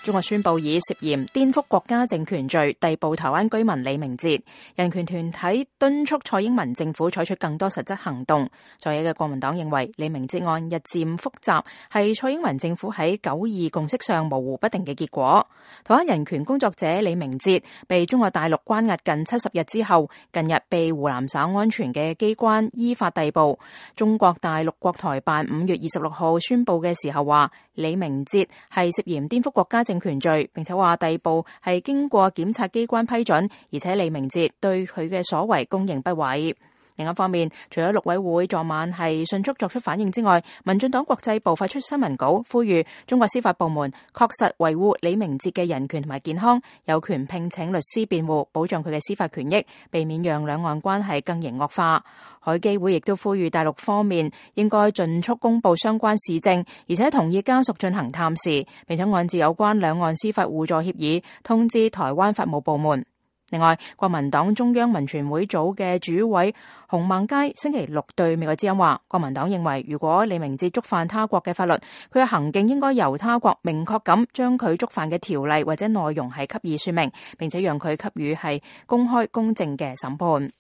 中國宣布以涉嫌顛覆國家政權罪逮捕台灣居民李明哲。人權團體敦促蔡英文政府採取更多實質行動。在野嘅國民黨認為李明哲案日漸複雜，係蔡英文政府喺9·2共識上模糊不定嘅結果。台灣人權工作者李明哲被中國大陸關押近70日之後，近日被湖南省安全嘅機關依法逮捕。中國大陸國台辦5月26號宣布嘅時候話，李明哲係涉嫌顛覆國家政權罪，並且話逮捕係經過檢察機關批准，而且李明哲對佢嘅所為供認不諱。另一方面，除咗陸委會昨晚係迅速作出反應之外，民進黨國際部發出新聞稿，呼籲中國司法部門確實維護李明哲嘅人權同埋健康，有權聘請律師辯護，保障佢嘅司法權益，避免讓兩岸關係更形惡化。海基會亦都呼籲大陸方面應該盡速公布相關事證，而且同意家屬進行探視，並且按照有關兩岸司法互助協議通知台灣法務部門。另外，國民黨中央民權會組嘅主委洪孟佳星期六對美國之音話，國民黨認為如果李明哲觸犯他國嘅法律，佢嘅行徑應該由他國明確咁將佢觸犯嘅條例或者內容係給予說明，並且讓佢給予係公開公正嘅審判。